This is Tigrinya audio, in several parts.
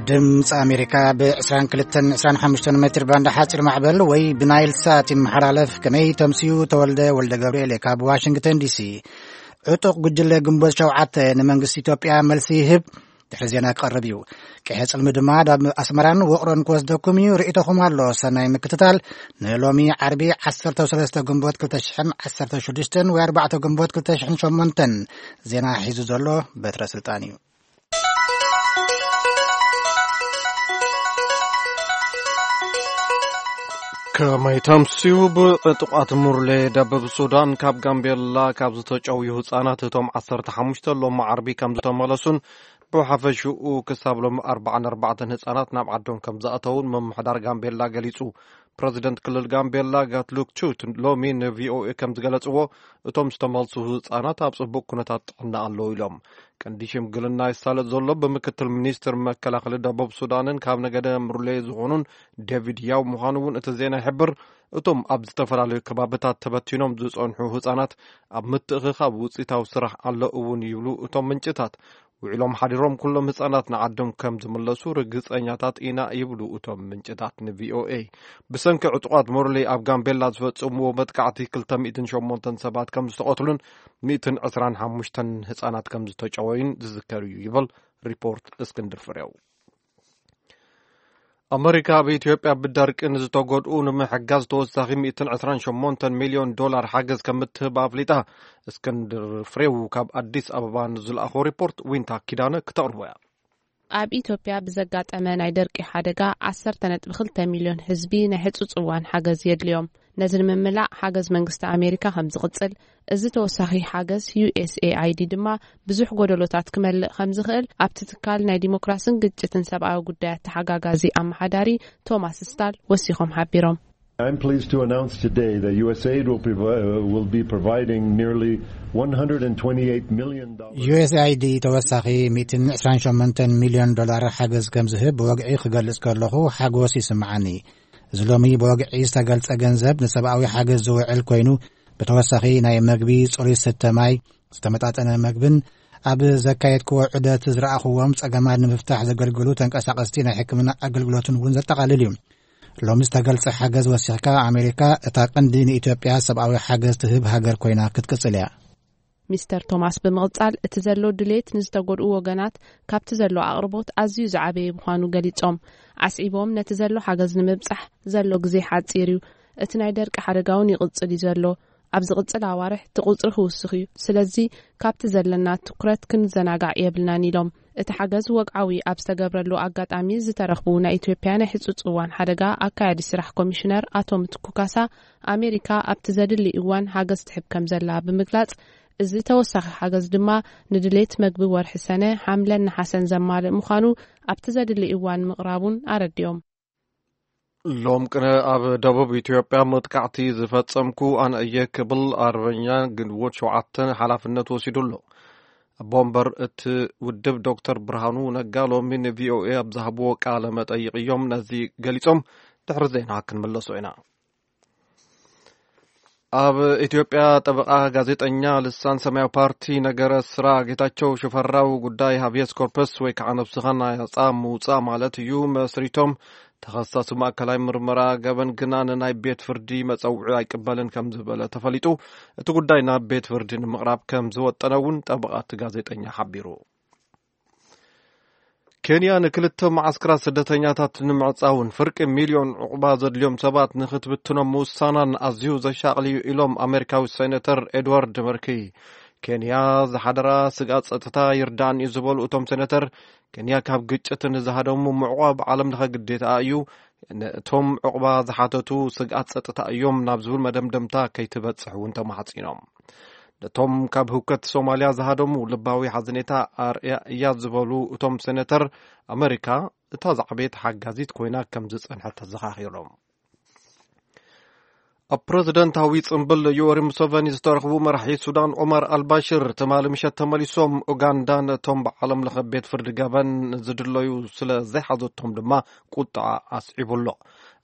ድምፂ ኣሜሪካ ብ22 25 ሜትር ባንድ ሓፂር ማዕበል ወይ ብናይል ሳት ይመሓላለፍ። ከመይ ተምስዩ? ተወልደ ወልደ ገብርኤል ካብ ዋሽንግተን ዲሲ። ዕጡቕ ጉጅለ ግንቦት ሸውዓተ ንመንግስቲ ኢትዮጵያ መልሲ ይህብ። ድሕሪ ዜና ክቐርብ እዩ። ቀይሕ ጽልሚ ድማ ናብ ኣስመራን ውቕሮን ክወስደኩም እዩ። ርእይቶኹም ኣሎ። ሰናይ ምክትታል። ንሎሚ ዓርቢ 13 ግንቦት 2016 ወይ 4 ግንቦት 2008 ዜና ሒዙ ዘሎ በትረ ስልጣን እዩ። ከመይ ተምስዩ? ብዕጡቓት ሙርሌ ደቡብ ሱዳን ካብ ጋምቤላ ካብ ዝተጨውዩ ህጻናት እቶም 15 ሎም ዓርቢ ከም ዝተመለሱን ብሓፈሽኡ ክሳብ ሎም 44 ህጻናት ናብ ዓዶም ከም ዝኣተውን ምምሕዳር ጋምቤላ ገሊጹ። ፕረዚደንት ክልል ጋምቤላ ጋትሉክ ቹት ሎሚ ንቪኦኤ ከም ዝገለጽዎ፣ እቶም ዝተመልሱ ህጻናት ኣብ ጽቡቕ ኩነታት ጥዕና ኣለዉ ኢሎም። ቀንዲ ሽምግልና ይሳለጥ ዘሎ ብምክትል ሚኒስትር መከላኸሊ ደቡብ ሱዳንን ካብ ነገደ ሙርሌ ዝኾኑን ዴቪድ ያው ምዃኑ እውን እቲ ዜና ይሕብር። እቶም ኣብ ዝተፈላለዩ ከባብታት ተበቲኖም ዝጸንሑ ህጻናት ኣብ ምትእኽኻብ ውጽኢታዊ ስራሕ ኣሎ እውን ይብሉ እቶም ምንጭታት። ውዕሎም ሓዲሮም ኩሎም ህጻናት ንዓዶም ከም ዝምለሱ ርግጸኛታት ኢና ይብሉ እቶም ምንጭታት ንቪኦኤ። ብሰንኪ ዕጡቓት ሞርሌ ኣብ ጋምቤላ ዝፈጸምዎ መጥቃዕቲ 208 ሰባት ከም ዝተቐትሉን 125 ህጻናት ከም ዝተጨወዩን ዝዝከር እዩ ይብል ሪፖርት እስክንድር ፍሬው። ኣመሪካ ኣብ ኢትዮጵያ ብደርቂ ንዝተጎድኡ ንምሕጋዝ ተወሳኺ 128 ሚልዮን ዶላር ሓገዝ ከም እትህብ ኣፍሊጣ። እስክንድር ፍሬው ካብ ኣዲስ ኣበባ ንዝለኣኾ ሪፖርት ዊንታ ኪዳነ ክተቕርቦ እያ። ኣብ ኢትዮጵያ ብዘጋጠመ ናይ ደርቂ ሓደጋ 10.2 ሚልዮን ህዝቢ ናይ ህጹጽ እዋን ሓገዝ የድልዮም። ነዚ ንምምላእ ሓገዝ መንግስቲ ኣሜሪካ ከም ዝቕጽል፣ እዚ ተወሳኺ ሓገዝ ዩ ኤስ ኤ ኣይ ዲ ድማ ብዙሕ ጎደሎታት ክመልእ ከም ዝኽእል ኣብቲ ትካል ናይ ዲሞክራስን ግጭትን ሰብኣዊ ጉዳያት ተሓጋጋዚ ኣመሓዳሪ ቶማስ ስታል ወሲኾም ሓቢሮም። I'm pleased to announce today that U S A I D will, provi- uh, will be providing nearly one hundred twenty-eight million dollars. ዩ ኤስ ኤ ኣይ ዲ ተወሳኺ 128 ሚልዮን ዶላር ሓገዝ ከም ዝህብ ብወግዒ ክገልጽ ከለኹ ሓጎስ ይስምዓኒ። እዚ ሎሚ ብወግዒ ዝተገልጸ ገንዘብ ንሰብኣዊ ሓገዝ ዝውዕል ኮይኑ፣ ብተወሳኺ ናይ መግቢ፣ ጽሩይ ስተ ማይ፣ ዝተመጣጠነ መግብን ኣብ ዘካየድክዎ ዑደት ዝረኣኽዎም ጸገማት ንምፍታሕ ዘገልግሉ ተንቀሳቐስቲ ናይ ሕክምና ኣገልግሎትን እውን ዘጠቓልል እዩ። ሎሚ ዝተገልጸ ሓገዝ ወሲኽካ፣ ኣሜሪካ እታ ቀንዲ ንኢትዮጵያ ሰብኣዊ ሓገዝ ትህብ ሃገር ኮይና ክትቅጽል እያ። ሚስተር ቶማስ ብምቕጻል፣ እቲ ዘሎ ድሌት ንዝተጎድኡ ወገናት ካብቲ ዘሎ ኣቕርቦት ኣዝዩ ዝዓበየ ምዃኑ ገሊጾም። ኣስዒቦም፣ ነቲ ዘሎ ሓገዝ ንምብጻሕ ዘሎ ግዜ ሓጺር እዩ። እቲ ናይ ደርቂ ሓደጋ እውን ይቕጽል እዩ ዘሎ። ኣብ ዝቕጽል ኣዋርሕ እቲ ቁጽሪ ክውስኽ እዩ። ስለዚ ካብቲ ዘለና ትኩረት ክንዘናጋዕ የብልናን ኢሎም። እቲ ሓገዝ ወግዓዊ ኣብ ዝተገብረሉ ኣጋጣሚ ዝተረኽቡ ናይ ኢትዮጵያ ናይ ህጹጽ እዋን ሓደጋ ኣካያዲ ስራሕ ኮሚሽነር ኣቶ ምትኩ ካሳ፣ ኣሜሪካ ኣብቲ ዘድሊ እዋን ሓገዝ ትሕብ ከም ዘላ ብምግላጽ፣ እዚ ተወሳኺ ሓገዝ ድማ ንድሌት መግቢ ወርሒ ሰነ፣ ሓምለን ነሓሰን ዘማልእ ምዃኑ ኣብቲ ዘድሊ እዋን ምቕራቡን ኣረዲኦም። ሎም ቅነ ኣብ ደቡብ ኢትዮጵያ መጥቃዕቲ ዝፈጸምኩ ኣነ እየ ክብል ኣርበኛ ግንቦት 7 ሓላፍነት ወሲዱ ኣሎ። ኣቦ ወንበር እቲ ውድብ ዶክተር ብርሃኑ ነጋ ሎሚ ንቪኦኤ ኣብ ዝሃብዎ ቃለ መጠይቕ እዮም ነዚ ገሊጾም። ድሕሪ ዜና ክንምለሶ ኢና። ኣብ ኢትዮጵያ ጠበቓ ጋዜጠኛ ልሳን ሰማያዊ ፓርቲ ነገረ ስራ ጌታቸው ሽፈራው ጉዳይ ሃብየስ ኮርፐስ ወይ ከዓ ነብስኻ ናፃ ምውፃእ ማለት እዩ መስሪቶም። ተኸሳሲ ማእከላይ ምርመራ ገበን ግና ንናይ ቤት ፍርዲ መፀውዒ ኣይቅበልን ከም ዝበለ ተፈሊጡ። እቲ ጉዳይ ናብ ቤት ፍርዲ ንምቕራብ ከም ዝወጠነ እውን ጠበቓ እቲ ጋዜጠኛ ሓቢሩ። ኬንያ ንክልተ መዓስከራት ስደተኛታት ንምዕጻውን ፍርቂ ሚልዮን ዕቑባ ዘድልዮም ሰባት ንክትብትኖም ምውሳናን ኣዝዩ ዘሻቕል እዩ ኢሎም ኣሜሪካዊ ሴኔተር ኤድዋርድ መርኪ። ኬንያ ዝሓደራ ስግኣት ጸጥታ ይርዳእን እዩ ዝበሉ እቶም ሴኔተር፣ ኬንያ ካብ ግጭት ንዝሃደሙ ምዕቋብ ዓለም ለኸ ግዴታ እዩ። ነቶም ዕቑባ ዝሓተቱ ስግኣት ጸጥታ እዮም ናብ ዝብል መደምደምታ ከይትበጽሕ እውን ተማሕጺኖም። ነቶም ካብ ህውከት ሶማልያ ዝሃደሙ ልባዊ ሓዘኔታ ኣርእያ እያ ዝበሉ እቶም ሴኔተር፣ ኣመሪካ እታ ዝዓበየት ሓጋዚት ኮይና ከም ዝጸንሐት ተዘኻኺሮም። ኣብ ፕረዚደንታዊ ጽምብል ዮወሪ ሙሰቨኒ ዝተረኽቡ መራሒ ሱዳን ዑመር ኣልባሽር ትማሊ ምሸት ተመሊሶም። ኡጋንዳ ነቶም ብዓለም ለኸ ቤት ፍርዲ ገበን ዝድለዩ ስለ ዘይሓዘቶም ድማ ቁጥዓ ኣስዒቡ ኣሎ።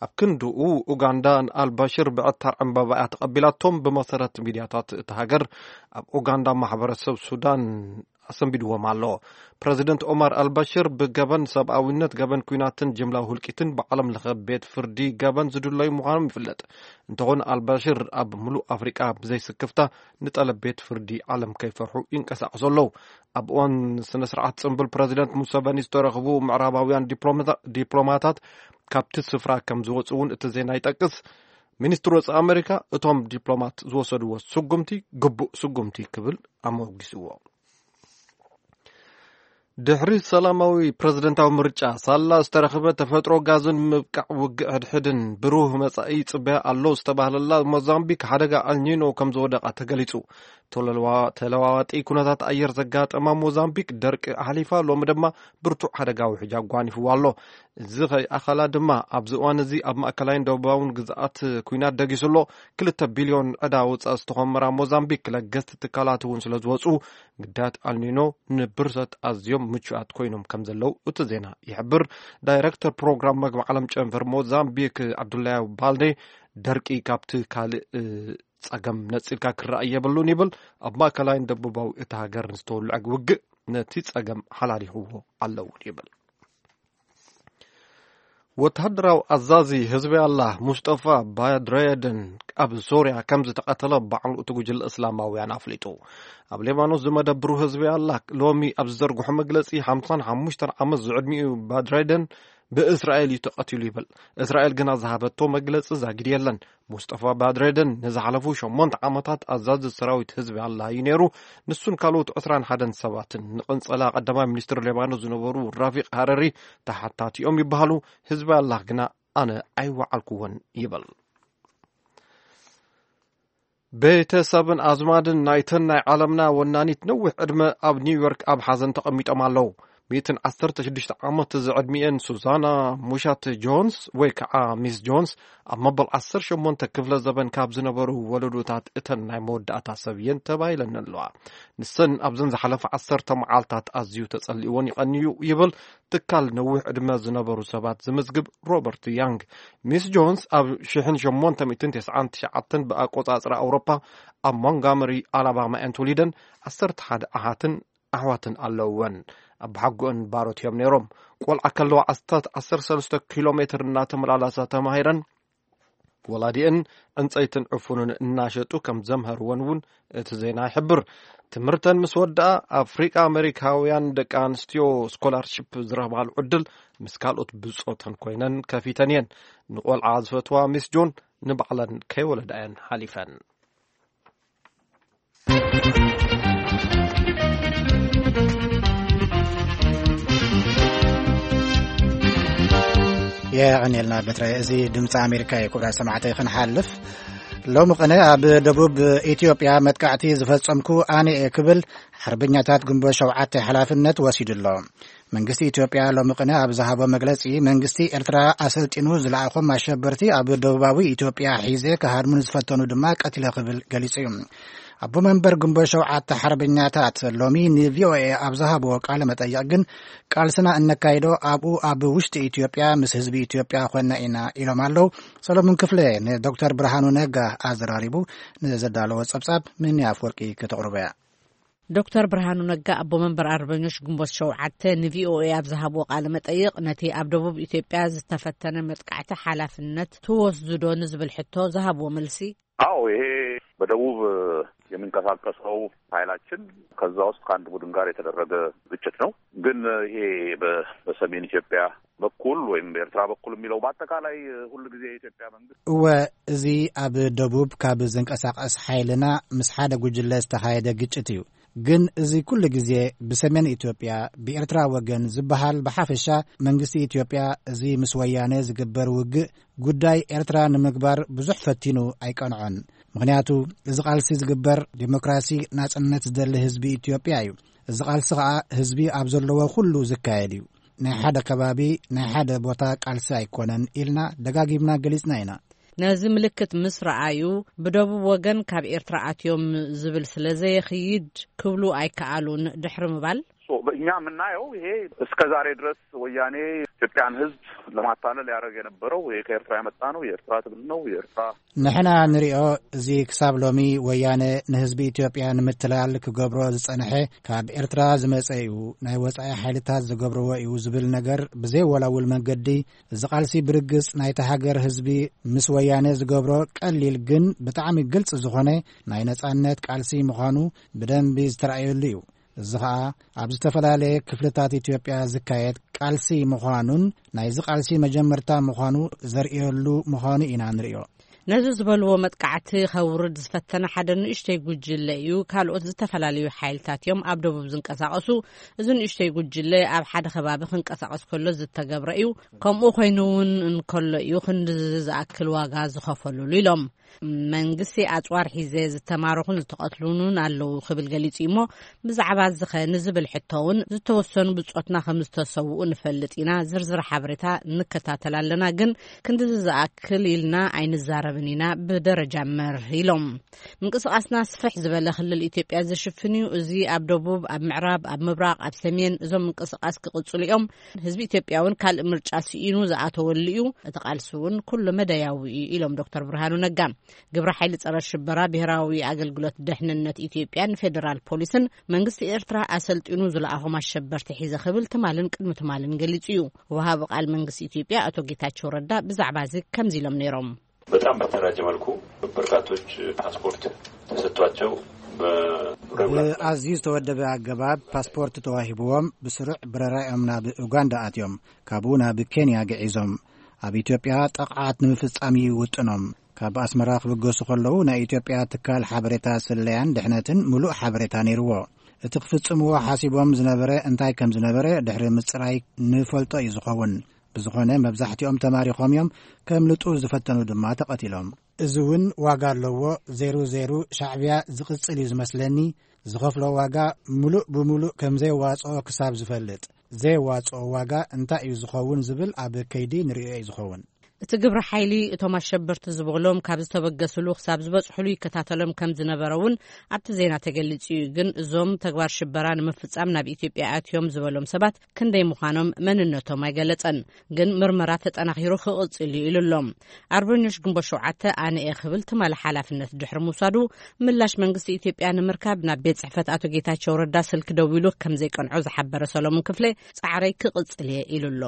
ኣብ ክንድኡ ኡጋንዳ ንኣልባሽር ብዕታር ዕምባባ እያ ተቐቢላቶም። ብመሰረት ሚድያታት እታ ሃገር ኣብ ኡጋንዳ ማሕበረሰብ ሱዳን ኣሰንቢድዎም ኣሎ። ፕረዚደንት ኦማር ኣልባሽር ብገበን ሰብኣዊነት፣ ገበን ኲናትን ጅምላዊ ህልቂትን ብዓለም ለኸ ቤት ፍርዲ ገበን ዝድለዩ ምዃኖም ይፍለጥ። እንተኾነ ኣልባሽር ኣብ ምሉእ ኣፍሪቃ ብዘይስክፍታ ንጠለብ ቤት ፍርዲ ዓለም ከይፈርሑ ይንቀሳቐሱ ኣለዉ። ኣብ እዋን ስነ ስርዓት ጽምብል ፕረዚደንት ሙሰቨኒ ዝተረኽቡ ምዕራባውያን ዲፕሎማታ- ዲፕሎማታት ካብቲ ስፍራ ከም ዝወፁ እውን እቲ ዜና ይጠቅስ። ሚኒስትር ወፃኢ ኣሜሪካ እቶም ዲፕሎማት ዝወሰድዎ ስጉምቲ ግቡእ ስጉምቲ ክብል ኣሞጊስዎ። ድሕሪ ሰላማዊ ፕረዚደንታዊ ምርጫ ሳላ ዝተረኽበ ተፈጥሮ ጋዝን ምብቃዕ ውግእ ሕድሕድን ብሩህ መጻኢ ይጽበያ ኣሎ ዝተባህለላ ሞዛምቢክ ሓደጋ ኣልኒኖ ከም ዝወደቓ ተገሊጹ። ተለዋ- ተለዋዋጢ ኩነታት ኣየር ዘጋጠማ ሞዛምቢክ ደርቂ ኣሕሊፋ፣ ሎሚ ድማ ብርቱዕ ሓደጋ ውሕጅ ኣጓኒፍዋ ኣሎ። እዚ ከይኣኸላ ድማ ኣብዚ እዋን እዚ ኣብ ማእከላይን ደቡባውን ግዝኣት ኲናት ደጊሱ ኣሎ። ክልተ ቢልዮን ዕዳ ወጻኢ ዝተኾመራ ሞዛምቢክ ለገስቲ ትካላት እውን ስለ ዝወጹ ግዳያት ኣልኒኖ ንብርሰት ኣዝዮም ምቹኣት ኮይኖም ከም ዘለዉ እቲ ዜና ይሕብር። ዳይረክተር ፕሮግራም መግቢ ዓለም ጨንፈር ሞዛምቢክ ዓብዱላያ ባልዴ ደርቂ ካብቲ ካልእ እ፣ ጸገም ነጺልካ ክረኣይ የብሉን ይብል። ኣብ ማእከላይን ደቡባዊ እቲ ሃገር ንዝተወልዐ ውግእ ነቲ ጸገም ሓላሊኽዎ ኣለውን ይብል። ወተሃደራዊ ኣዛዚ ህዝቢ ኣላህ ሙስጠፋ ባድረየደን ኣብ ሶርያ ከም ዝተቐተለ ባዕሉ እቲ ጉጅለ እስላማውያን ኣፍሊጡ። ኣብ ሌባኖስ ዝመደብሩ ህዝቢ ኣላህ ሎሚ ኣብ ዝዘርግሖ መግለጺ ሓምሳን ሓሙሽተን ዓመት ዝዕድሚኡ ባድረየደን ብእስራኤል እዩ ተቐቲሉ ይብል። እስራኤል ግና ዝሃበቶ መግለጺ ዛጊድ የለን። ሙስጠፋ ባድረደን ንዝሓለፉ ሸሞንተ ዓመታት ኣዛዚ ሰራዊት ህዝቢ ኣላህ እዩ ነይሩ። ንሱን ካልኦት ዕስራን ሓደን ሰባትን ንቕንጸላ ቀዳማይ ሚኒስትር ሌባኖስ ዝነበሩ ራፊቅ ሃረሪ ተሓታቲኦም ይበሃሉ። ህዝቢ ኣላህ ግና ኣነ ኣይወዓልኩዎን ይብል። ቤተሰብን ኣዝማድን ናይተን ናይ ዓለምና ወናኒት ነዊሕ ዕድመ ኣብ ኒውዮርክ ኣብ ሓዘን ተቐሚጦም ኣለዉ። ሚእትን ዓሰርተ ሽዱሽተ ዓመት ዝዕድሚኤን ሱዛና ሙሻት ጆንስ ወይ ከዓ ሚስ ጆንስ ኣብ መበል ዓሰርተ ሸሞንተ ክፍለ ዘበን ካብ ዝነበሩ ወለዶታት እተን ናይ መወዳእታ ሰብ እየን ተባሂለን ኣለዋ። ንሰን ኣብዘን ዝሓለፈ ዓሰርተ መዓልታት ኣዝዩ ተጸሊእዎን ይቐንዩ ይብል ትካል ነዊሕ ዕድመ ዝነበሩ ሰባት ዝምዝግብ ሮበርት ያንግ። ሚስ ጆንስ ኣብ ሽሕን ሸሞንተ ሚእትን ተስዓን ትሽዓተን ብኣቆጻጽራ ኣውሮፓ ኣብ ሞንጋመሪ ኣላባማ እየን ተወሊደን። ዓሰርተ ሓደ ኣሓትን ኣሕዋትን ኣለውወን። ኣብ ሓጎአን ባሮት እዮም ነይሮም። ቆልዓ ከለዋ ኣስታት ዓሰርተ ሰለስተ ኪሎ ሜትር እናተመላለሳ ተማሂረን። ወላዲአን ዕንፀይትን ዕፉንን እናሸጡ ከም ዘምሃርወን እውን እቲ ዜና ይሕብር። ትምህርተን ምስ ወድኣ ኣፍሪቃ ኣሜሪካውያን ደቂ ኣንስትዮ ስኮላርሺፕ ዝረኽባሉ ዕድል ምስ ካልኦት ብጾተን ኮይነን ከፊተን እየን። ንቆልዓ ዝፈትዋ ሚስ ጆን ንባዕለን ከይወለዳ እየን ሓሊፈን። የቐንየልና በትረ። እዚ ድምፂ ኣሜሪካ እዩ። ክቡራት ሰማዕተይ ክንሓልፍ፣ ሎሚ ቅነ ኣብ ደቡብ ኢትዮጵያ መጥቃዕቲ ዝፈጸምኩ ኣነ እየ ክብል ሓርበኛታት ግንቦት ሸውዓተ ሓላፍነት ወሲዱ ኣሎ። መንግስቲ ኢትዮጵያ ሎሚ ቅነ ኣብ ዝሃቦ መግለጺ፣ መንግስቲ ኤርትራ ኣሰልጢኑ ዝለኣኾም ኣሸበርቲ ኣብ ደቡባዊ ኢትዮጵያ ሒዘ ክሃድሙ ዝፈተኑ ድማ ቀቲለ ክብል ገሊጹ እዩ። ኣቦ መንበር ግንቦት ሸውዓተ ሓርበኛታት ሎሚ ንቪኦኤ ኣብ ዝሃብዎ ቃለ መጠይቕ ግን፣ ቃልስና እነካይዶ ኣብኡ ኣብ ውሽጢ ኢትዮጵያ ምስ ህዝቢ ኢትዮጵያ ኾንና ኢና ኢሎም ኣለዉ። ሰሎሞን ክፍለ ንዶክተር ብርሃኑ ነጋ ኣዘራሪቡ ንዘዳለዎ ጸብጻብ ምኒ ኣፍወርቂ ከተቕርቦ እያ። ዶክተር ብርሃኑ ነጋ ኣቦ መንበር ኣርበኞች ግንቦት ሸውዓተ ንቪኦኤ ኣብ ዝሃብዎ ቃለ መጠይቕ፣ ነቲ ኣብ ደቡብ ኢትዮጵያ ዝተፈተነ መጥቃዕቲ ሓላፍነት ትወስዱ ዶ ንዝብል ሕቶ ዝሃብዎ መልሲ፣ አዎ፣ ይሄ በደቡብ የሚንቀሳቀሰው ኃይላችን ከዛ ውስጥ ከአንድ ቡድን ጋር የተደረገ ግጭት ነው። ግን ይሄ በ- በሰሜን ኢትዮጵያ በኩል ወይም በኤርትራ በኩል የሚለው በአጠቃላይ ሁል ጊዜ የኢትዮጵያ መንግስት እወ፣ እዚ ኣብ ደቡብ ካብ ዝንቀሳቐስ ሓይልና ምስ ሓደ ጉጅለ ዝተኻየደ ግጭት እዩ። ግን እዚ ኩሉ ግዜ ብሰሜን ኢትዮጵያ ብኤርትራ ወገን ዝበሃል፣ ብሓፈሻ መንግስቲ ኢትዮጵያ እዚ ምስ ወያነ ዝግበር ውግእ ጉዳይ ኤርትራ ንምግባር ብዙሕ ፈቲኑ ኣይቀንዖን። ምኽንያቱ እዚ ቃልሲ ዝግበር ዴሞክራሲ፣ ናጽነት ዝደሊ ህዝቢ ኢትዮጵያ እዩ። እዚ ቃልሲ ኸኣ ህዝቢ ኣብ ዘለዎ ኩሉ ዝካየድ እዩ። ናይ ሓደ ከባቢ፣ ናይ ሓደ ቦታ ቃልሲ ኣይኮነን ኢልና ደጋጊምና ገሊጽና ኢና። ነዚ ምልክት ምስ ረኣዩ፣ ብደቡብ ወገን ካብ ኤርትራ ኣትዮም ዝብል ስለ ዘየኽይድ ክብሉ ኣይከኣሉን ድሕሪ ምባል፣ እኛ የምናየው ይሄ እስከ ዛሬ ድረስ ወያኔ ኢትዮጵያን ሕዝብ ለማታለል ያደረገ የነበረው፣ ይሄ ከኤርትራ የመጣ ነው፣ የኤርትራ ትግል ነው፣ የኤርትራ ንሕና ንሪኦ፣ እዚ ክሳብ ሎሚ ወያነ ንህዝቢ ኢትዮጵያ ንምትላል ክገብሮ ዝጸንሐ፣ ካብ ኤርትራ ዝመጸ እዩ፣ ናይ ወጻኢ ሓይልታት ዝገብርዎ እዩ ዝብል ነገር ብዘይወላውል መንገዲ፣ እዚ ቃልሲ ብርግጽ ናይታ ሃገር ህዝቢ ምስ ወያነ ዝገብሮ ቀሊል ግን ብጣዕሚ ግልጽ ዝኾነ ናይ ነጻነት ቃልሲ ምዃኑ ብደንቢ ዝተራእየሉ እዩ። እዚ ኸኣ ኣብ ዝተፈላለየ ክፍልታት ኢትዮጵያ ዝካየድ ቃልሲ ምዃኑን ናይዚ ቃልሲ መጀመርታ ምዃኑ ዘርእየሉ ምዃኑ ኢና ንርእዮ። ነዚ ዝበልዎ መጥቃዕቲ ከውርድ ዝፈተነ ሓደ ንእሽተይ ጉጅለ እዩ። ካልኦት ዝተፈላለዩ ሓይልታት እዮም ኣብ ደቡብ ዝንቀሳቐሱ። እዚ ንእሽተይ ጉጅለ ኣብ ሓደ ከባቢ ክንቀሳቐስ ከሎ ዝተገብረ እዩ። ከምኡ ኮይኑ እውን እንከሎ እዩ ክንዲ ዝኣክል ዋጋ ዝኸፈልሉ ኢሎም። መንግስቲ ኣጽዋር ሒዘ ዝተማረኹን ዝተቐትሉን ኣለዉ ክብል ገሊጹ እዩ እሞ፣ ብዛዕባ እዚ ኸ ንዝብል ሕቶ እውን ዝተወሰኑ ብጾትና ከም ዝተሰውኡ ንፈልጥ ኢና። ዝርዝር ሓበሬታ ንከታተል ኣለና፣ ግን ክንድዚ ዝኣክል ኢልና ኣይንዛረብን ኢና፣ ብደረጃ መርህ ኢሎም። ምንቅስቓስና ስፍሕ ዝበለ ክልል ኢትዮጵያ ዝሽፍን እዩ። እዚ ኣብ ደቡብ፣ ኣብ ምዕራብ፣ ኣብ ምብራቕ፣ ኣብ ሰሜን እዞም ምንቅስቓስ ክቕጽሉ እዮም። ህዝቢ ኢትዮጵያ እውን ካልእ ምርጫ ስኢኑ ዝኣተወሉ እዩ። እቲ ቃልሲ እውን ኩሉ መዳያዊ እዩ ኢሎም ዶክተር ብርሃኑ ነጋ። ግብረ ሓይሊ ጸረ ሽበራ ብሔራዊ ኣገልግሎት ደሕንነት ኢትዮጵያን ፌዴራል ፖሊስን መንግስቲ ኤርትራ ኣሰልጢኑ ዝለኣኾም ኣሸበርቲ ሒዘ ክብል ትማልን ቅድሚ ትማልን ገሊጹ እዩ። ወሃቢ ቃል መንግስቲ ኢትዮጵያ ኣቶ ጌታቸው ረዳ ብዛዕባ እዚ ከምዚ ኢሎም ነይሮም። በጣም በተደራጀ መልኩ በርካቶች ፓስፖርት ተሰጥቷቸው በ ብኣዝዩ ዝተወደበ ኣገባብ ፓስፖርት ተዋሂብዎም ብስሩዕ ብረራኦም ናብ ኡጋንዳ ኣትዮም፣ ካብኡ ናብ ኬንያ ግዒዞም። ኣብ ኢትዮጵያ ጠቕዓት ንምፍጻም እዩ ውጥኖም። ካብ ኣስመራ ክብገሱ ከለዉ ናይ ኢትዮጵያ ትካል ሓበሬታ ስለያን ድሕነትን ምሉእ ሓበሬታ ነይርዎ። እቲ ክፍጽምዎ ሓሲቦም ዝነበረ እንታይ ከም ዝነበረ ድሕሪ ምጽራይ ንፈልጦ እዩ ዝኸውን። ብዝኾነ መብዛሕትኦም ተማሪኾም እዮም፣ ከምልጡ ዝፈተኑ ድማ ተቐቲሎም። እዚ እውን ዋጋ ኣለዎ። ዜሩ ዜሩ ሻዕብያ ዝቕጽል እዩ ዝመስለኒ። ዝኸፍሎ ዋጋ ምሉእ ብምሉእ ከም ዘየዋጽኦ ክሳብ ዝፈልጥ፣ ዘየዋጽኦ ዋጋ እንታይ እዩ ዝኸውን ዝብል ኣብ ከይዲ ንርእዮ እዩ ዝኸውን። እቲ ግብረ ሓይሊ እቶም ኣሸበርቲ ዝበሎም ካብ ዝተበገስሉ ክሳብ ዝበጽሕሉ ይከታተሎም ከም ዝነበረ እውን ኣብቲ ዜና ተገሊጹ እዩ። ግን እዞም ተግባር ሽበራ ንምፍጻም ናብ ኢትዮጵያ ኣትዮም ዝበሎም ሰባት ክንደይ ምዃኖም መንነቶም ኣይገለጸን። ግን ምርመራ ተጠናኺሩ ክቕጽል እዩ ኢሉ ኣሎ። ኣርበኞች ግንቦት ሸውዓተ ኣነ እየ ክብል ትማሊ ሓላፍነት ድሕሪ ምውሳዱ፣ ምላሽ መንግስቲ ኢትዮጵያ ንምርካብ ናብ ቤት ጽሕፈት ኣቶ ጌታቸው ረዳ ስልኪ ደዊሉ ከም ዘይቀንዖ ዝሓበረ ሰሎሞን ክፍለ፣ ጻዕረይ ክቕጽል እየ ኢሉ ኣሎ።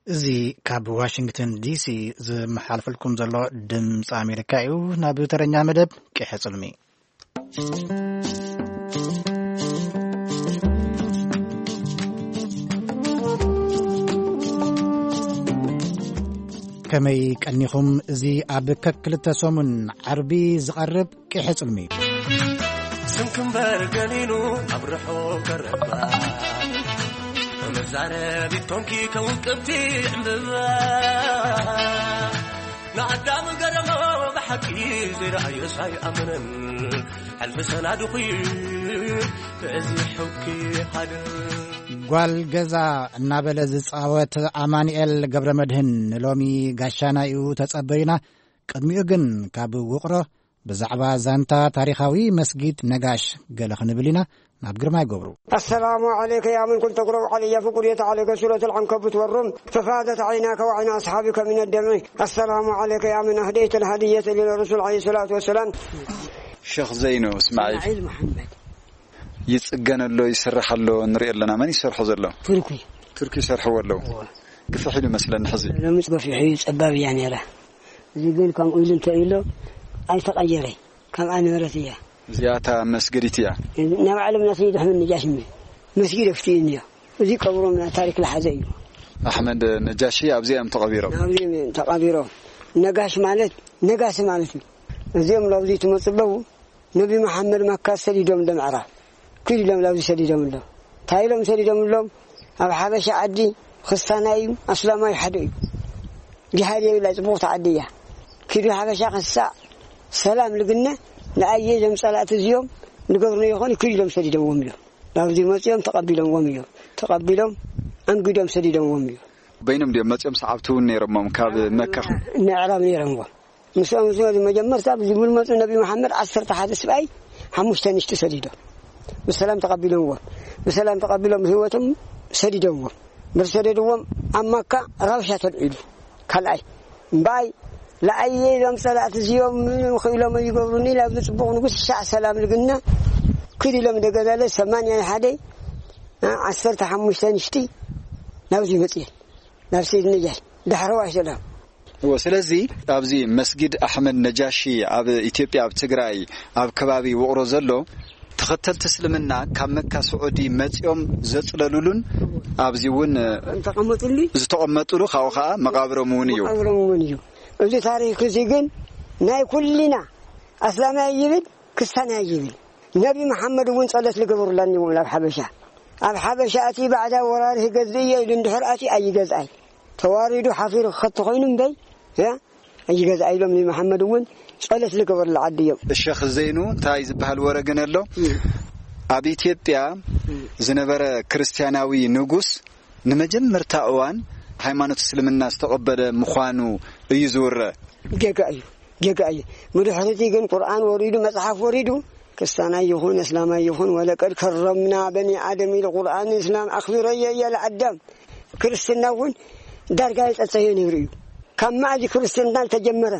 እዚ ካብ ዋሽንግተን ዲሲ ዝመሓልፈልኩም ዘሎ ድምፂ ኣሜሪካ እዩ። ናብ ተረኛ መደብ ቂሐ ጽልሚ። ከመይ ቀኒኹም? እዚ ኣብ ከክልተ ሰሙን ዓርቢ ዝቐርብ ቂሐ ጽልሚ እዩ። ስንክምበር ገሊሉ ኣብ ርሑ ቀረባ፣ መዛረቢት ኮንኪ ከውቅብቲ ዕምብባ። ንኣዳም ገረሞ ብሓቂ ዘይረኣዮስ ኣይኣመነን። ሕልሚ ሰናድኹ በዚ ሕውኪ ሃደ። ጓል ገዛ እናበለ ዝጻወት ኣማኑኤል ገብረ መድህን ንሎሚ ጋሻና እዩ ተጸበዩና። ቅድሚኡ ግን ካብ ውቕሮ ብዛዕባ ዛንታ ታሪኻዊ መስጊድ ነጋሽ ገለ ክንብል ኢና። ናብ ግርማይ ገብሩ። السلام عليك يا من كنت تقرأ علي فقريت عليك سورة العنكبوت والروم ففاضت عيناك وعين أصحابك من الدمع. السلام عليك يا من أهديت الهدية للرسول عليه الصلاة والسلام. ሸኽ ዘይኑ እስማዒል። እስማዒል መሓመድ። ይጽገን ኣሎ፣ ይስራሕ ኣሎ፣ ንርኢ ኣለና። መን ይሰርሖ ዘሎ? ቱርኪ። ቱርኪ ይሰርሕዎ ኣለዉ። እወ። ግፍሕ ኢሉ መስለኒ ሕዚ። ሎሚ ገፊሕ እዩ፣ ጸባብ እያ ነይራ። እዚ ግን ከምኡ ኢሉ እንተ ኢሎ ኣይተቐየረ፣ ከምኣ ነበረት እያ። እዚኣ እታ መስገዲት እያ። ናይ ባዕሎም ናይ ሰይድ ኣሕመድ ነጃሽ ም-፣ መስጊድ ኣፍትዩ እኒኦ። እዚ ቀብሮም ናይ ታሪክ ዝሓዘ እዩ። ኣሕመድ ነጃሺ ኣብዚኣ እዮም ተቐቢሮም። ኣብዚኦም እዮም ተቐቢሮም። ነጋሽ ማለት ነጋሲ ማለት እዩ። እዚኦም ላብዚ ትመፁ ኣለዉ። ነቢ መሓመድ መካ ሰዲዶም ዶ ምዕራብ? ኪዱ ኢሎም ላብዚ ሰዲዶም ኣሎ። እንታይ ኢሎም ሰዲዶም ኣሎም? ኣብ ሓበሻ ዓዲ ክስታናይ እዩ፣ ኣስላማይ ሓደ እዩ። ጅሃድ የብላ፣ ጽቡቕቲ ዓዲ እያ። ኪዱ ሓበሻ ክሳዕ ሰላም ልግነ ንኣየ ዘም ጸላእቲ እዚኦም ንገብርና ይኾኑ ኪዱ ኢሎም ሰዲዶምዎም እዮም። ናብዚ መጺኦም ተቐቢሎምዎም እዮም። ተቐቢሎም ኣንጊዶም ሰዲዶምዎም እዮም። በይኖም ድዮም መጺኦም? ሰዓብቲ እውን ነይሮሞም ካብ መካ? ንኣዕራብ ነይሮምዎም። ምስኦም ዝመ-፣ መጀመርታ ዝመፁ ነቢ መሓመድ ዓሰርተ ሓደ ስብኣይ ሓሙሽተ ንሽቲ ሰዲዶም። ብሰላም ተቐቢሎምዎም። ብሰላም ተቐቢሎም ህይወቶም ሰዲዶምዎም። ምስ ሰደድዎም ኣብ መካ ረብሻ ተልዒሉ። ካልኣይ እምበኣይ ለኣየ ኢሎም ጸላእቲ እዚኦም ምንም ክኢሎም ይገብሩኒ ኢላ ብጽቡቕ ንጉስ ሻዕ ሰላም ልግና ክድ ኢሎም ደገዳለ ሰማንያ ሓደ ዓሰርተ ሓሙሽተ ንሽቲ ናብዚ መጽየን ናብ ሰይድ ነጃሽ ዳሕረዋይ ሰላም። እዎ፣ ስለዚ ኣብዚ መስጊድ ኣሕመድ ነጃሺ ኣብ ኢትዮጵያ፣ ኣብ ትግራይ፣ ኣብ ከባቢ ውቕሮ ዘሎ ተኸተልቲ እስልምና ካብ መካ ስዑዲ መጺኦም ዘጽለሉሉን ኣብዚ እውን እንተቐመጡሉ ዝተቐመጡሉ፣ ካብኡ ኸዓ መቓብሮም እውን እዩ። መቓብሮም እውን እዩ። እዚ ታሪኽ እዚ ግን ናይ ኩልና ኣስላማይ ይብል፣ ክስታናይ ይብል። ነቢ መሓመድ እውን ጸሎት ልገበሩላኒ ይብሉ ኣብ ሓበሻ። ኣብ ሓበሻ እቲ ባዕዳ ወራሪ ክገዝእ እየ ኢሉ እንድሕር ኣትዩ ኣይገዝኣይ። ተዋሪዱ ሓፊሩ ክኸቲ ኮይኑ እምበይ፣ ያ፣ ኣይገዝኣ ኢሎም ንመሓመድ እውን ጸሎት ልገበሩሉ ዓዲ እዮም። ሸኽ ዘይኑ እንታይ ዝበሃል ወረ ግን ኣሎ? እም። ኣብ ኢትዮጵያ እም። ዝነበረ ክርስትያናዊ ንጉስ ንመጀመርታ እዋን ሃይማኖት እስልምና ዝተቐበለ ምዃኑ እዩ ዝውረ። ጌጋ እዩ፣ ጌጋ እዩ። ብድሕሪቲ ግን ቁርኣን ወሪዱ፣ መጽሓፍ ወሪዱ፣ ክስታናይ ይኹን እስላማይ ይኹን፣ ወለቀድ ከረምና በኒ ኣደም ኢሉ ቁርኣን እስላም ኣኽቢረዮ እየ ለኣዳም። ክርስትና እውን ዳርጋ የጸጸዮ ነይሩ እዩ። ካብ መኣዚ ክርስትና ዝተጀመረ፣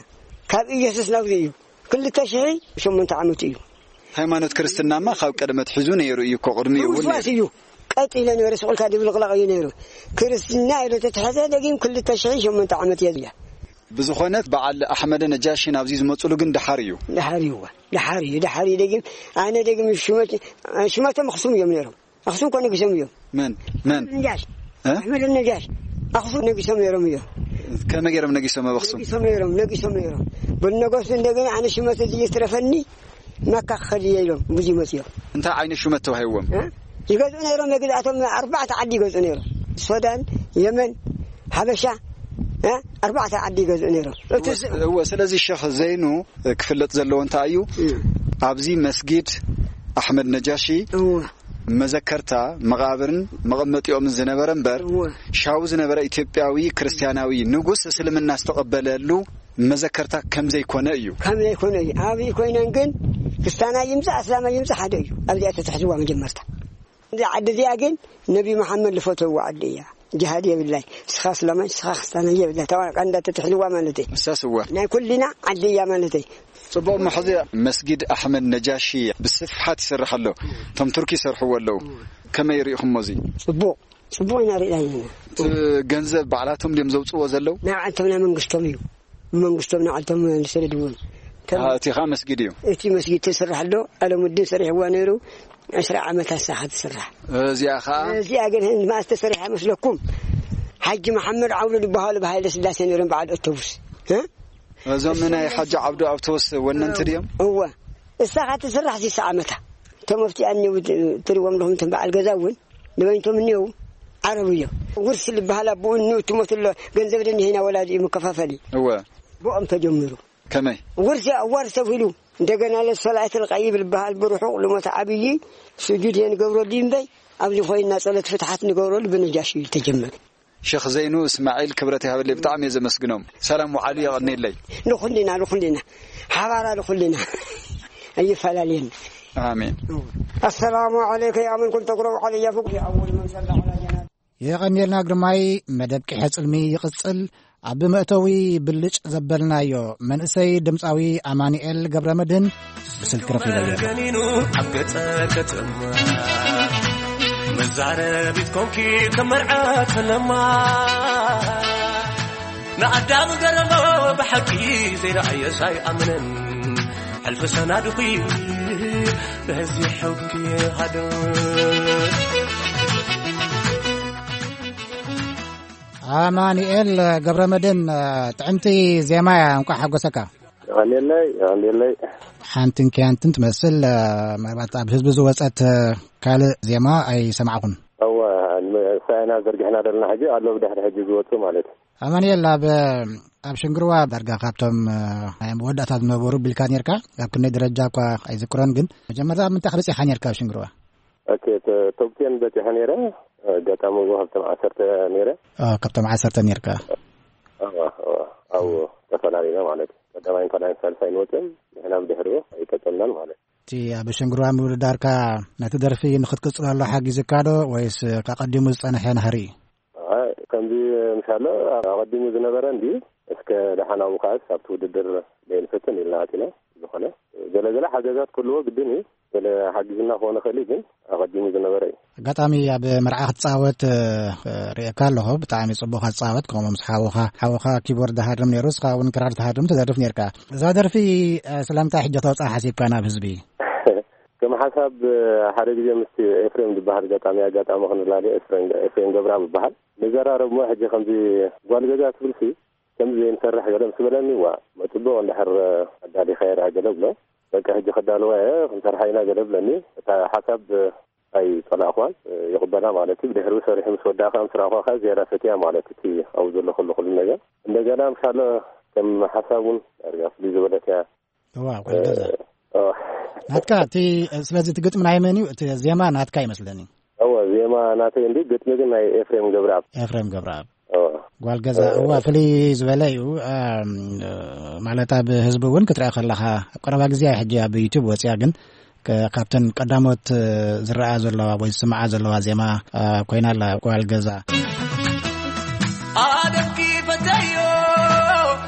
ካብ ኢየሱስ ናብዚ እዩ። ክልተ ሽሕ ሸሞንተ ዓመት እዩ። ሃይማኖት ክርስትናማ ካብ ቀደም ኣትሒዙ ነይሩ እዩ እኮ፣ ቅድሚኡ እውን ውስዋስ ነይሩ። እዩ። ቀጥ ኢለ ነይሩ፣ ስቕ ኢልካ ድብልቕላቕ እዩ ነይሩ። ክርስትና ኢሉ ተትሐዘ ደጊም ክልተ ሽሕ ሸሞንተ ዓመት እየ እያ። ብዝኾነ በዓል ኣሕመደ ነጃሺ ናብዚ ዝመፅሉ ግን ደሓር እዩ። ደሓር እዩ፣ ደሓር እዩ፣ ደሓር እዩ ደጊም። ኣነ ደጊም ሽመት-፣ ሽመቶም ኣኽሱም እዮም ነይሮም። ኣኽሱም እኮ ነጊሶም እዮም። መን? መን? ነጃሽ። እ? ኣሕመድ ነጃሽ። ኣኽሱም ነጊሶም ነይሮም እዮም። ከመይ ገይሮም ነጊሶም ኣብ ኣኽሱም? ነጊሶም ነይሮም፣ ነጊሶም ነይሮም። ብነገሱ እንደገና ኣነ ሽመት እዚ ይትረፈኒ፣ መካ ክኸድ እየ ኢሎም ብዙ መፅዮም። እንታይ ዓይነት ሹመት ተዋሂብዎም? እ? ይገዝኡ ነይሮም፣ የግዝኣቶም ኣርባዕተ ዓዲ ይገዝኡ ነይሮም። ሶዳን፣ የመን፣ ሓበሻ፣ እ? ኣርባዕተ ዓዲ ይገዝኡ ነይሮም። እቲ እወ፣ እወ፣ ስለዚ ሸኽ ዘይኑ ክፍለጥ ዘለዎ እንታይ እዩ? እ። ኣብዚ መስጊድ ኣሕመድ ነጃሺ እወ። መዘከርታ መቓብርን መቐመጢኦምን ዝነበረ እምበር፣ እወ። ሻው ዝነበረ ኢትዮጵያዊ ክርስትያናዊ ንጉስ እስልምና ዝተቐበለሉ መዘከርታ ከም ዘይኮነ እዩ። ከም ዘይኮነ እዩ። ኣብይ ኮይነን ግን ክስታናይ ይምጻእ ኣስላማይ ይምጻእ ሓደ እዩ። ኣብዚኣ ተትሕዝዋ መጀመርታ። እዛ ዓዲ እዚኣ ግን ነቢ መሓመድ ዝፈተውዋ ዓዲ እያ። ጅሃድ የብላይ። ንስኻ ኣስላማይ፣ ንስኻ ክስታናይ የብላይ። ተባቃ እንዳተትሕዝዋ ማለተይ። ንሳስ እወ። ናይ ኩልና ዓዲ እያ ማለተይ። ጽቡቕ፣ እሞ ሕዚ መስጊድ ኣሕመድ ነጃሺ ብስፍሓት ይሰርሕ ኣሎ። እቶም ቱርኪ ይሰርሕዎ ኣለዉ። ከመይ ርኢኹሞ እዚ? ጽቡቕ፣ ጽቡቕ ኢና ርኢና ኣለና። እቲ ገንዘብ ባዕላቶም ድዮም ዘውጽእዎ ዘለዉ? ናይ ባዕልቶም ናይ መንግስቶም እዩ። መንግስቶም ንዓልቶም ዝሰደድዎም። ከም ኣሃ፣ እቲ ኸኣ መስጊድ እዩ። እቲ መስጊድ ተስርሕ ኣሎ፣ ኣለሙዲን ሰሪሕዋ ነይሩ፣ ዕስራ ዓመት ኣሳኻ ትስራሕ። እዚኣ ኸኣ? እዚኣ ግን ህን-፣ መኣስ ተሰሪሓ መስለኩም? ሓጂ መሓመድ ዓብዱ ዝበሃሉ ብሃይለ ስላሴ ነይሮም በዓል ኣውቶቡስ። እ? እዞም ናይ ሓጂ ዓብዱ ኣውቶቡስ ወነንቲ ድዮም? እወ። እሳ ኸኣ ትስራሕ ሽሳ ዓመታ። እቶም ኣብቲ ኣንየው ትሪእዎም ኣለኹም፣ እቶም በዓል ገዛ እውን ንበይንቶም እኒአው ዓረብ እዮም። ውርሲ ዝበሃል ኣቦኡ እኒኡ ትሞት ኣሎ፣ ገንዘብ ደኒሄና ወላዲኡ መከፋፈሊ። እወ። ብኦም ተጀሚሩ። ከመይ? ውርሲ ኣዋርስ ተብሂሉ፣ እንደገና ለሶላይት ልቀይብ ዝበሃል ብርሑቕ ልሞት ዓብዪ ስጁድ እየ ንገብረሉ እምበይ፣ ኣብዚ ኮይንና ጸሎት ፍትሓት ንገብረሉ ብነጃሽ እዩ ተጀመረ። ሸኽ ዘይኑ እስማዒል ክብረት ይሃበለይ፣ ብጣዕሚ እየ ዘመስግኖም። ሰላም ውዓሉ፣ የቐንየለይ። ንኹልና፣ ንኹልና። ሓባራ ንኹልና። ኣይፈላለየና። ኣሜን። ኣሰላሙ ዓለይከ ያ መን ኩንተ ትቅረኡ ዓለያ ፍቁር ኣወል መን ሰላ ዓላ ጀናብ። የቐንየልና ግርማይ፣ መደብ ቂሐ ጽልሚ ይቕጽል። ኣብ መእተዊ ብልጭ ዘበልናዮ መንእሰይ ድምጻዊ ኣማኑኤል ገብረመድህን ብስልኪ ረኺበዮ። ገኒኑ ኣብ ገጸ ከተማ መዛረቢት ኮንኪ ከም መርዓ ፈለማ ንኣዳም ገረሞ ብሓቂ ዘይረኣየስ ኣይኣምንን። ሕልፊ ሰናድኺ በዚ ሕጊ ሃደ። ኣማኑኤል ገብረመድህን፣ ጥዕምቲ ዜማ እያ። እንኳዕ ሓጎሰካ። የቐንየለይ፣ የቐንየለይ። ሓንትን ኪያንትን ትመስል፣ ምናልባት ኣብ ህዝቢ ዝወጸት ካልእ ዜማ ኣይሰማዕኹን። እወ፣ ንሳይና ዘርጊሕና ዘለና ሕጂ ኣሎ፣ ብድሕሪ ሕጂ ዝወጹ ማለት እዩ። ኣማኑኤል፣ ኣብ፣ ኣብ ሽንግርዋ ዳርጋ ካብቶም፣ እ፣ ናይ መወዳእታ ዝነበሩ ቢልካ ኔርካ፣ ኣብ ክንደይ ደረጃ እኳ ኣይዝክሮን፣ ግን መጀመርታ ኣብ ምንታይ ክበጺኻ ኔርካ ኣብ ሽንግርዋ? ኦኬ፣ ተ-፣ ቶፕ ቴን በጺሐ ኔረ፣ ኣጋጣሚ እውን ካብቶም ዓሰርተ ኔረ። ኦ፣ ካብቶም ዓሰርተ ኔርካ። እወ፣ እወ፣ ኣብኡ ተፈላለዩና ማለት እዩ። ቀዳማይን ናይ ሳልሳይ ንወፅን ንሕና ብድሕሪኡ ኣይቀፀልናን ማለት እዩ። እቲ ኣብ ሸንግርዋ ምውድዳርካ ነቲ ደርፊ ንኽትቅጽለሉ ሓጊዝካ ዶ ወይስ ከቐዲሙ ዝጸንሐ ናህሪ? ኣይ፣ ከምዚ ምሻሎ ኣቐዲሙ ዝነበረ እንዲ እስከ ደሓን ኣብኡ ከኣስ ኣብቲ ውድድር ደይንፈትን ኢልና ኣቲና። ዝኾነ ገለ ገለ ሓገዛት ክህልዎ ግድን እዩ። ገለ ሓጊዝና ክኾነ ክእል እዩ፣ ግን ኣቐዲሙ ዝነበረ እዩ። ኣጋጣሚ ኣብ መርዓ ክትጻወት፣ እ፣ ርእየካ ኣለኹ። ብጣዕሚ ጽቡቕ ክትጻወት፣ ከምኡ ምስ ሓውኻ፣ ሓውኻ ኪቦርድ ሃርም ነይሩ፣ እስኻ እውን ክራር ትሃርም ትደርፍ ነርካ። እዛ ደርፊ፣ እ፣ ስለምንታይ ሕጂ ክተውጽኣ ሓሲብካ ናብ ህዝቢ? ከም ሓሳብ፣ እ፣ ሓደ ግዜ ምስቲ ኤፍሬም ዝበሃል ገጣሚ ኣጋጣሚ ክንላለየ፣ ኤፍሬም፣ ኤፍሬም ገብረኣብ ይበሃል። ንዘራረብ እሞ ሕጂ ከምዚ ጓል ገዛ ትብልሲ፣ ከምዚ ዘይንሰርሕ ገለ ምስ በለኒ፣ ዋ፣ መጽቡቕ እንድሕር ኣዳሊኻዮ ደኣ ገለ ብሎ። በቃ ሕጂ ከዳልዋ እየ፣ ክንሰርሓ ኢና ገለ ብለኒ። እታ ሓሳብ ኣይጸላእኽዋን፣ ይቕበላ ማለት እዩ። ብድሕሪኡ ሰሪሑ ምስ ወዳእ ከኣ ምስ ረኣኽዋ ከኣ ዝያዳ ፈትያ ማለት እቲ ኣብኡ ዘሎ ኩሉ ኩሉ ነገር። እንደገና ምሻሎ ከም ሓሳብ እውን ዳርጋ ፍልይ ዝበለት እያ። እዋ፣ ጓል ገዛ። እ፣ እዋ። ናትካ እቲ፣ ስለዚ እቲ ግጥሚ ናይ መን እዩ? እቲ ዜማ ናትካ ይመስለኒ። እወ፣ ዜማ ናተይ እንዲ፣ ግጥሚ ግን ናይ ኤፍሬም ገብረኣብ። ኤፍሬም ገብረኣብ። እወ። ጓል ገዛ። እ፣ እዋ፣ ፍልይ ዝበለ እዩ። እም፣ ማለት ኣብ ህዝቢ እውን ክትሪኣ ከለኻ፣ ኣብ ቀረባ ግዜ ሕጂ ኣብ ዩቱብ ወፂኣ፣ ግን ከ-፣ ካብተን ቀዳሞት፣ እ፣ ዝረኣ ዘለዋ ወይ ዝስምዓ ዘለዋ ዜማ፣ እ፣ ኮይና ኣላ ጓል ገዛ። ኣደምኪ ፈተዮ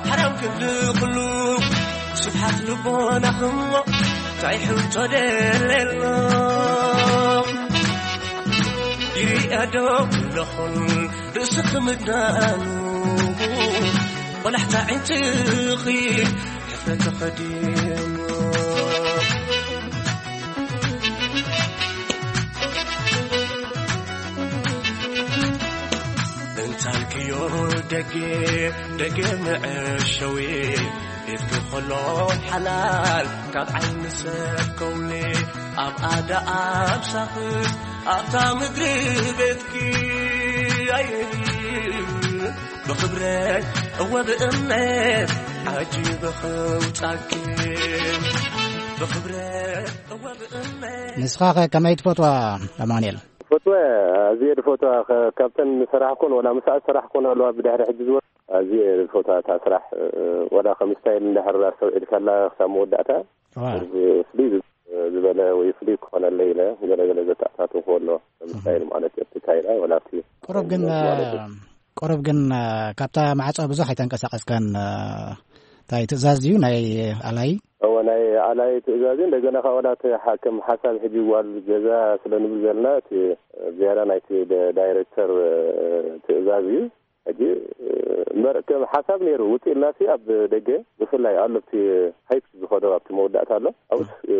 ሓራም ክንዲ ኩሉ ስብሓት ልቦናኹም እንታይ ሕቶ ደለሎ ይርኣዶ ኩለኹም ርእስኺ ምድናኑ ቆላሕታ ዕንትኺ ሕፍረት ተኸዲኑ። እንታልክዮ ደጌ ደጌ መዐሸዊ ቤትኪ ከሎ ሓላል ካብ ዓይኒ ሰብ ከውሊ ኣብ ኣዳ ኣብ ሳኽስ ኣብታ ምድሪ ቤትኪ ኣይ ብኽብረት እወ ብእምነት ዓጂበ ኸውጻኪ ብኽብረት እወ ብእምነት። ንስኻ ኸ ከመይ ትፈትዋ ኣማኑኤል? ፈትወ ኣዝየ ዝፈትዋ ከ-፣ ካብተን ዝሰራሕኩን ወላ ምስኣ ዝሰራሕኩን ኣለዋ ብድሕሪ ሕጂ ዝወ-፣ ኣዝየ ዝፈትዋ እታ ስራሕ፣ እ፣ ወላ ከም ስታይል እንድሕር ኣስተውዒልካላ ክሳብ መወዳእታ ዋው። ፍልይ ዝ-፣ ዝበለ ወይ ፍልይ ክኾነለይ ኢለ ገለ ገለ ዘተኣታተውኩ ኣሎ። ከም እህ። ስታይል ማለት እዩ፣ እቲ ካይላ ወላ እቲ ቁሩብ ግን፣ ማለት እዩ። ቁሩብ ግን፣ እ፣ ካብታ ማዕጾ ብዙሕ ኣይተንቀሳቐስካን፣ እ፣ እንታይ ትእዛዝ ድዩ ናይ ኣላይ? እወ፣ ናይ ኣላይ ትእዛዝ እዩ። እንደገና ካብ ወላ እቲ ሓ-፣ ከም ሓሳብ ሕጂ ጓል ገዛ ስለ ንብል ዘለና፣ እቲ ዝያዳ ናይቲ ደ-፣ ዳይሬክተር፣ እ፣ ትእዛዝ እዩ። ሕጂ፣ እ፣ እምበር ከም ሓሳብ ነይሩ፣ ውጽእ ኢልናሲ ኣብ ደገ ብፍላይ ኣሎ፣ ኣብቲ ሃይፕ ዝኸዶ ኣብቲ መወዳእታ ኣሎ። ኣብኡስ፣ እ፣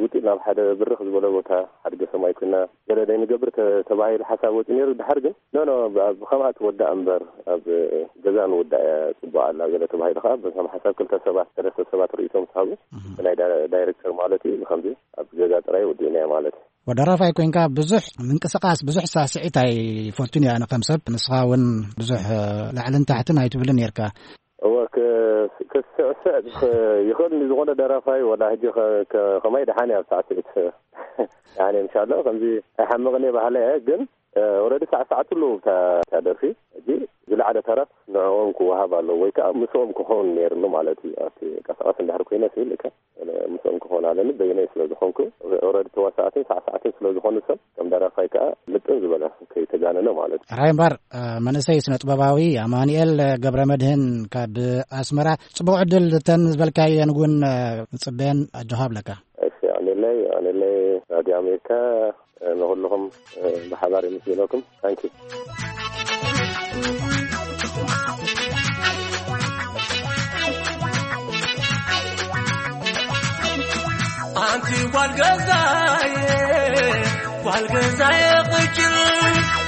ውጽእ ናብ ሓደ ብርኽ ዝበለ ቦታ፣ ሓድገ ሰማይ ኮይና ገለ ደይ ንገብር ተ-፣ ተባሂሉ ሓሳብ ወጺኡ ነይሩ። ድሓር ግን ኖ፣ ኖ፣ ብ-፣ ብኸምኣ ትወዳእ እምበር፣ ኣብ ገዛ ንውዳእ እያ ጽቡቕ ኣላ፣ ገለ ተባሂሉ ከኣ፣ በቶም ሓሳብ ክልተ ሰባት፣ ሰለስተ ሰባት ርእይቶ ምስ ሃቡ፣ እህ። ብናይ ዳ-፣ ዳይሬክተር ማለት እዩ፣ ብኸምዚ ኣብ ገዛ ጥራይ ወዲእናዮ ማለት እዩ። ወደራፋይ ኮይንካ ብዙሕ ምንቅስቓስ፣ ብዙሕ ሳስዒት ኣይፈቱን እየ ኣነ ከም ሰብ። ንስኻ እውን ብዙሕ፣ እ፣ ላዕልን ታሕትን ኣይትብልን ነርካ። እወ፣ ክ-፣ ክስዕስዕ ክ-፣ ይኽእል ንዝኾነ ደራፋይ፣ ወላ ሕጂ ከ-፣ ከ-፣ ከማይ ደሓን እየ ኣብ ሳዕስዒት። ደሓን እየ፣ ምሻሎ፣ ከምዚ ኣይሓምቕን እየ በሃላይ እየ፣ ግን እ፣ ኦረዲ ሳዕሳዕትሉ እታ፣ እታ ደርፊ። ሕጂ ዝለዓለ ተረፍ ንዕኦም ክወሃብ ኣለዎ ወይ ከኣ ምስኦም ክኸውን ነይርሉ ማለት እዩ። ኣብቲ ቀስቀስ እንድሕር ኮይነ ስብል እካ ምስኦም ክኸውን ኣለኒ፣ በይነይ ስለ ዝኾንኩ፣ ኦረዲ ተዋሳእትን ሳዕሳዕትን ስለ ዝኾኑ ሰብ ከም ደራፋይ ከኣ ምጥን ዝበለ ከይተጋነነ ማለት እዩ። ሕራይ እምበር፣ እ፣ መንእሰይ ስነ ጥበባዊ ኣማኑኤል ገብረ መድህን ካብ ኣስመራ፣ ጽቡቕ ዕድል። እተን ዝበልካየን እውን፣ እ፣ ንጽበየን፣ ኣጆኻ እብለካ። እሺ፣ ኣኔለይ፣ ኣኔለይ ራድዮ ኣሜሪካ፣ ንኹልኹም ብሓባር የመስግነኩም። ታንኪ። ኣንቲ ጓል ገዛየ፣ ጓል ገዛየ፣ ቅጭል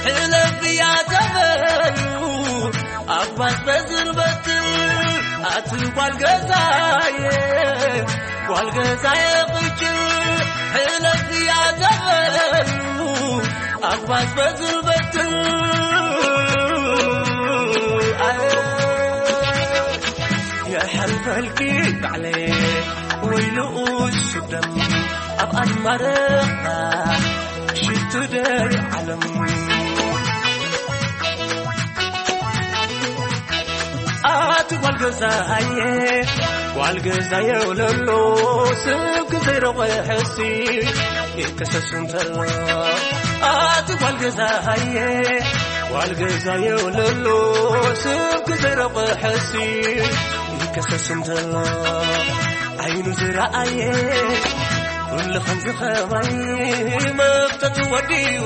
ሕለፍያ ተበሉ፣ ኣባስ በዝርበትል፣ ኣቲ ጓል ገዛየ፣ ጓል ገዛየ፣ ቅጭል ሕለፍያ ተበሉ፣ ኣባስ በዝርበትል፣ ኣየ፣ የሕልፈልኪ ባዕለየ፣ ወይ ንኡስ ስደት ኣብ ኣድማረኻ ሽትደይ ዓለም። ኣቲ ጓል ገዛየ፣ ጓል ገዛ የውለሎ ሰብ ክዘይረቑ ሕሲ ይከሰስ እንተሎ ኣቲ ጓል ገዛ ሃየ ጓል ገዛ የውለሎ ሰብ ክዘይረቑ ሕሲ ይከሰስ እንተሎ ዓይኑ ዝረኣየ ኩሉ ከም ዝኸባይ መፍተቱ ወዲኡ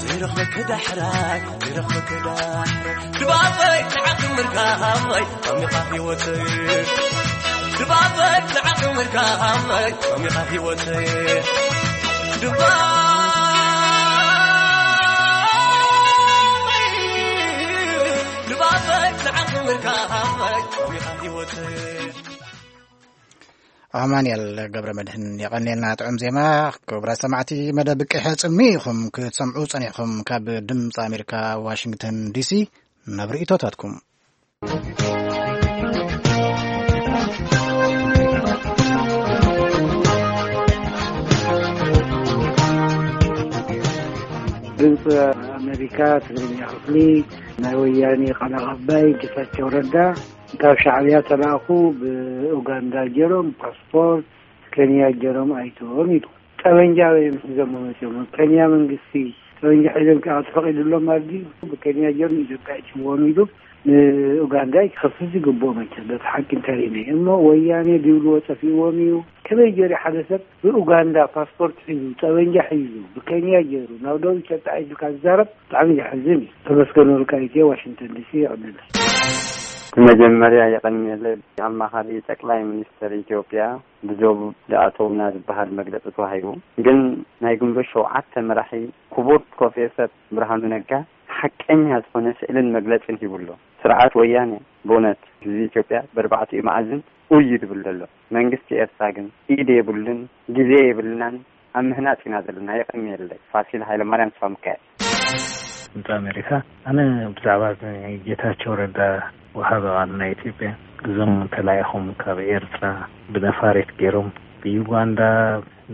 ዝረኽበኪ ዳሕራይ ዝረኽበኪ ዳሕራይ ድባበይ ንዓኺ ምርካበይ ኣሚኻ ህይወተይ ድባበይ ንዓኺ ምርካበይ ኣሚኻ ህይወተይ ድባበይ ድባበይ ንዓኺ ምርካበይ ኣሚኻ ህይወተይ ኣማንኤል ገብረ መድህን የቐንየልና ጥዑም ዜማ። ክቡራት ሰማዕቲ፣ መደብ ቅሐ ጽልሚ ኢኹም ክትሰምዑ ጸኒሕኩም። ካብ ድምፂ ኣሜሪካ ዋሽንግተን ዲሲ ናብ ርእይቶታትኩም። ድምፂ ኣሜሪካ ትግርኛ ክፍሊ፣ ናይ ወያኔ ቃል ኣቐባይ ጌታቸው ረዳ ካብ ሻዕብያ ተላእኹ ብኡጋንዳ ገይሮም ፓስፖርት ከንያ ገይሮም ኣይቶም ኢሉ። ጠበንጃ እዮም ሒዞም መፅኦም። ከንያ መንግስቲ ጠበንጃ ሒዞም ክኣቱ ፈቒድሎም ማለት ድዩ? ብከንያ ገይሩ ንኢትዮጵያ ይጭዎም ኢሉ ንኡጋንዳ ክኸስስ ይግብኦ መቸም። በቲ ሓቂ እንተሪእነ እሞ ወያኔ ድብልዎ ጠፊእዎም እዩ። ከመይ ገይሩ ሓደ ሰብ ብኡጋንዳ ፓስፖርት ሒዙ ጠበንጃ ሒዙ ብከንያ ገይሩ ናብ ደቡብ ኢትዮጵያ ኢልካ ዝዛረብ ብጣዕሚ ዘሕዝን እዩ። ተመስገን ወልቃይት እየ፣ ዋሽንግተን ዲሲ። ይቐንለ። መጀመርያ የቐንየለይ ኣማኻሪ ጠቅላይ ሚኒስትር ኢትዮጵያ ብዞብ ዝኣተውና ዝበሃል መግለፂ ተዋሂቡ። ግን ናይ ግንቦት ሸውዓተ መራሒ ክቡር ፕሮፌሰር ብርሃኑ ነጋ ሓቀኛ ዝኾነ ስእልን መግለፅን ሂቡ ኣሎ። ስርዓት ወያነ ብእውነት ህዝቢ ኢትዮጵያ በርባዕቲኡ መኣዝን ኡይ እዩ ዝብል ዘሎ። መንግስቲ ኤርትራ ግን ኢድ የብሉን፣ ግዜ የብልናን፣ ኣብ ምህናፅ ኢና ዘለና። የቐንየለይ። ፋሲል ሃይለማርያም፣ ስዋ ሚካኤል። ድምፂ ኣሜሪካ፣ ኣነ ብዛዕባ ጌታቸው ረዳ ወሃቢ ቃል ናይ ኢትዮጵያ፣ እዞም ተላኢኾም ካብ ኤርትራ ብነፋሪት ገይሮም ብዩጋንዳ፣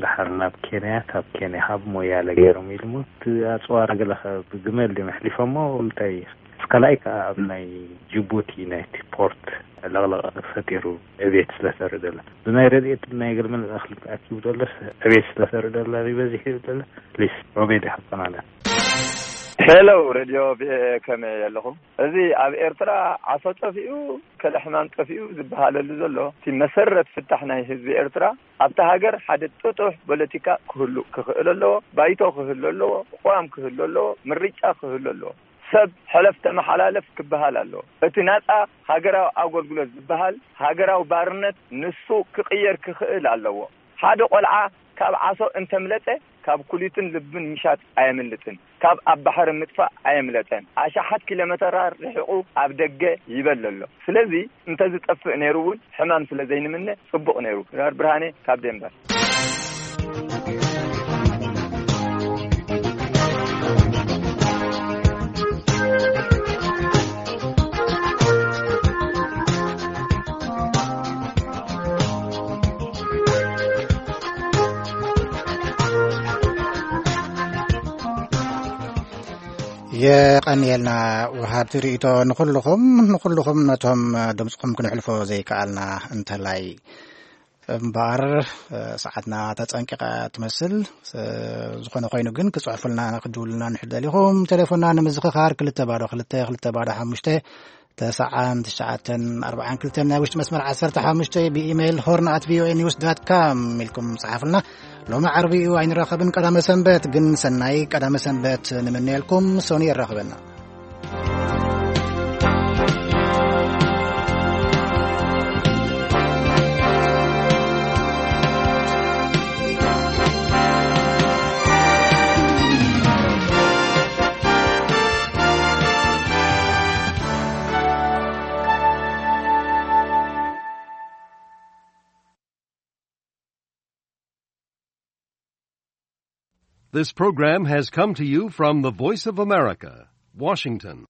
ድሓር ናብ ኬንያ፣ ካብ ኬንያ ካብ ሞያለ ገይሮም ኢሉ እሞ፣ እቲ ኣፅዋር ገለ ኸ ብግመል ድዮም ኣሕሊፎሞ? እንታይ እዩ? ምስ ካልኣይ ከዓ ኣብ ናይ ጅቡቲ ናይቲ ፖርት ዕልቕልቕ ፈጢሩ ዕቤት ስለተርኢ ዘሎ፣ ብናይ ረድኤት ናይ ገለ መለ እኽሊ ኣኪቡ ዘሎ ዕቤት ስለተርኢ ዘሎ፣ ይበዝሕ እዩ ዘሎ። ፕሊስ፣ ኦቤድ ይሓቆናለ። ሄሎ፣ ሬድዮ ቪኦኤ፣ ከመይ ኣለኹም? እዚ ኣብ ኤርትራ ዓሶ ጠፊኡ፣ ከለ ሕማም ጠፊኡ ዝበሃለሉ ዘሎ፣ እቲ መሰረት ፍታሕ ናይ ህዝቢ ኤርትራ፣ ኣብታ ሃገር ሓደ ጥጡሕ ፖለቲካ ክህሉ ክኽእል ኣለዎ፣ ባይቶ ክህሉ ኣለዎ፣ ቅዋም ክህሉ ኣለዎ፣ ምርጫ ክህሉ ኣለዎ። ሰብ ሕለፍ ተመሓላለፍ ክበሃል ኣለዎ። እቲ ናጻ ሃገራዊ ኣገልግሎት ዝበሃል ሃገራዊ ባርነት ንሱ ክቕየር ክኽእል ኣለዎ። ሓደ ቆልዓ ካብ ዓሶ እንተምለጠ ካብ ኩሊትን ልብን ምሻጥ ኣየምልጥን፣ ካብ ኣብ ባሕሪ ምጥፋእ ኣየምለጠን። ኣሽሓት ኪሎ ሜተራት ርሒቑ ኣብ ደገ ይበል ኣሎ። ስለዚ እንተዝጠፍእ ነይሩ እውን ሕማም ስለ ዘይንምነ ጽቡቕ ነይሩ። ዶክተር ብርሃኔ ካብ ዴንቨር። የቐንየልና ወሃብቲ ርእይቶ ንኹልኹም፣ ንኹልኹም ነቶም ድምፅኹም ክንሕልፎ ዘይከኣልና እንተላይ እምበኣር፣ ሰዓትና ተፀንቂቓ ትመስል። ዝኾነ ኮይኑ ግን ክፅሕፉልና፣ ክድውሉልና ንሕደል ኢኹም። ቴሌፎንና ንምዝኽኻር ክልተ ባዶ ክልተ፣ ክልተ ባዶ ሓሙሽተ፣ ተስዓን ትሽዓተን ኣርባዓን ክልተን ናይ ውሽጢ መስመር ዓሰርተ ሓሙሽተ፣ ብኢሜይል ሆርን ኣት ቪኦኤ ኒውስ ዳት ካም ኢልኩም ጸሓፉልና። ሎሚ ዓርቢ እዩ ኣይንራኸብን፣ ቀዳመ ሰንበት ግን ሰናይ ቀዳመ ሰንበት ንምነየልኩም። ሶኒ የራኽበና። This program has come to you from the Voice of America, Washington.